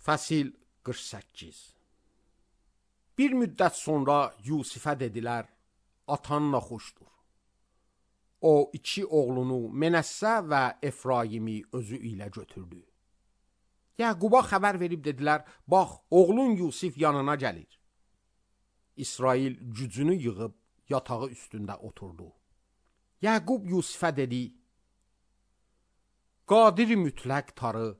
Fəsil 48. Bir müddət sonra Yusifə dedilər, atan naxoşdur. O, 2 oğlunu Menəssə və Efraimi özü ilə götürdü. Yaquba xəbər verib dedilər, bax, oğlun Yusif yanına gəlir. İsrail gücünü yığıb yatağı üstündə oturdu. Yaqub Yusifə dedi, Qadir mütləq tarı,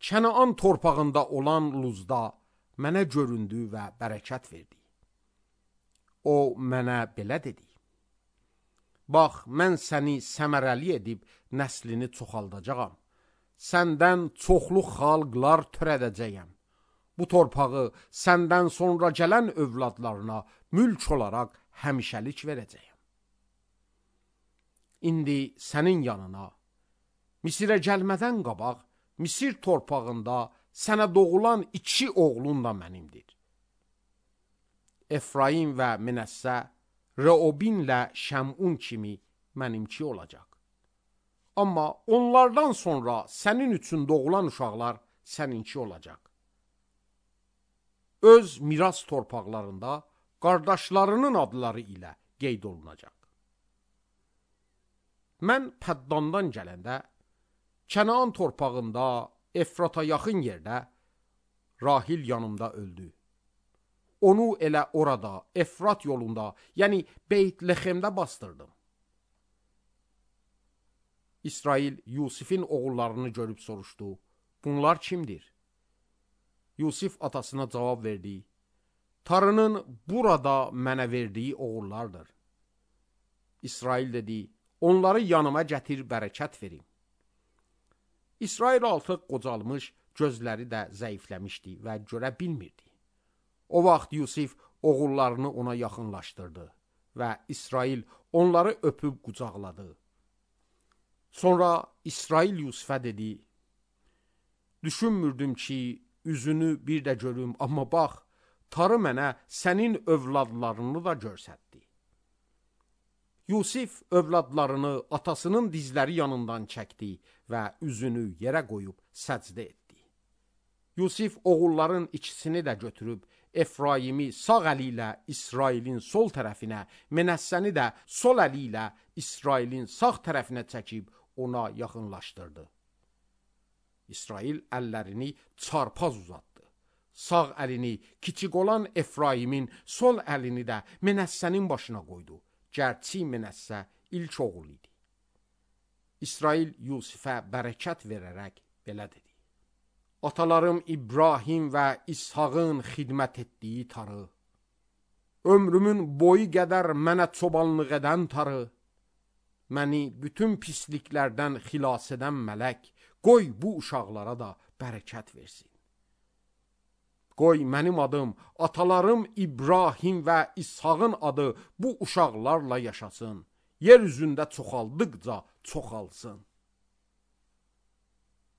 Kənaan torpağında olan Luzda mənə göründü və bərəkət verdi. O mənə belə dedi, bax, mən səni səmərəli edib nəslini çoxaldacağam. Səndən çoxlu xalqlar törədəcəyəm. Bu torpağı səndən sonra gələn övladlarına mülk olaraq həmişəlik verəcəyəm. İndi sənin yanına, Misirə gəlmədən qabaq, Misir torpağında sənə doğulan 2 oğlun da mənimdir. Efraim və Menəssə, Reobinlə Şəmun kimi mənimki olacaq. Amma onlardan sonra sənin üçün doğulan uşaqlar səninki olacaq. Öz miras torpaqlarında qardaşlarının adları ilə qeyd olunacaq. Mən Pəddandan gələndə, Kənaan torpağında, Efrata yaxın yerdə Rahil yanımda öldü. Onu elə orada, Efrat yolunda, yəni Beyt-Lexemdə bastırdım. İsrail Yusifin oğullarını görüb soruşdu, bunlar kimdir? Yusif atasına cavab verdi, tarının burada mənə verdiyi oğullardır. İsrail dedi, onları yanıma gətir, bərəkət verim. İsrail artıq qocalmış, gözləri də zəifləmişdi və görə bilmirdi. O vaxt Yusif oğullarını ona yaxınlaşdırdı və İsrail onları öpüb qucaqladı. Sonra İsrail Yusifə dedi, düşünmürdüm ki, üzünü bir də görüm, amma bax, tarı mənə sənin övladlarını da görsətdi. Yusif övladlarını atasının dizləri yanından çəkdi və üzünü yerə qoyub səcdə etdi. Yusif oğulların ikisini də götürüb, Efraimi sağ əli ilə İsrailin sol tərəfinə, Menəssəni də sol əli ilə İsrailin sağ tərəfinə çəkib ona yaxınlaşdırdı. İsrail əllərini çarpaz uzatdı. Sağ əlini kiçik olan Efraimin, sol əlini də Menəssənin başına qoydu. Gərçi Menəssə ilk oğul idi. İsrail Yusifə bərəkət verərək belə dedi. Atalarım İbrahim və İshağın xidmət etdiyi tarı, ömrümün boyu qədər mənə çobanlıq edən tarı, məni bütün pisliklərdən xilas edən mələk, qoy bu uşaqlara da bərəkət versin. Qoy mənim adım, atalarım İbrahim və İshağın adı bu uşaqlarla yaşasın. Yer üzündə çoxaldıqca çoxalsın.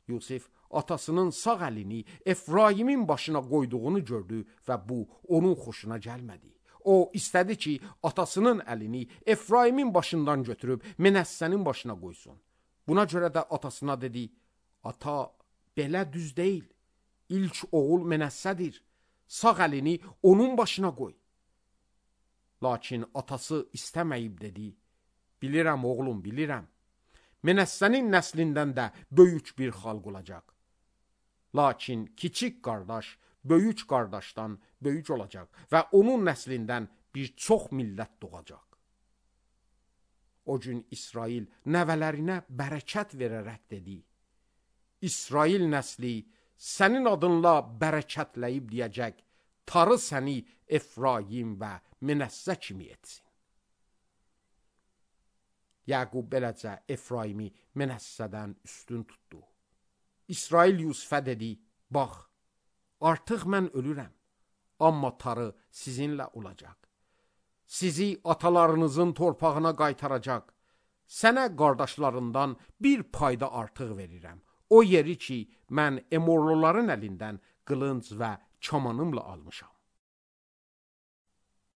Yusif atasının sağ əlini Efraimin başına qoyduğunu gördü və bu onun xoşuna gəlmədi. O istədi ki, atasının əlini Efraimin başından götürüb Menəssənin başına qoysun. Buna görə də atasına dedi, ata, belə düz deyil. İlk oğul Menəssədir, sağ əlini onun başına qoy. Lakin atası istəməyib dedi, bilirəm oğlum, bilirəm. Menəssənin nəslindən də böyük bir xalq olacaq. Lakin kiçik qardaş böyük qardaşdan böyük olacaq və onun nəslindən bir çox millət doğacaq. O gün İsrail nəvələrinə bərəkət verərək dedi, İsrail nəsli sənin adınla bərəkətləyib deyəcək, tarı səni Efraim və Menəssə kimi etsin. Yaqub beləcə Efraimi Menəssədən üstün tutdu. İsrail Yusifə dedi, bax, artıq mən ölürəm, amma tarı sizinlə olacaq. Sizi atalarınızın torpağına qaytaracaq. Sənə qardaşlarından bir payda artıq verirəm. O yeri ki, mən Emorluların əlindən qılınc və kamanımla almışam.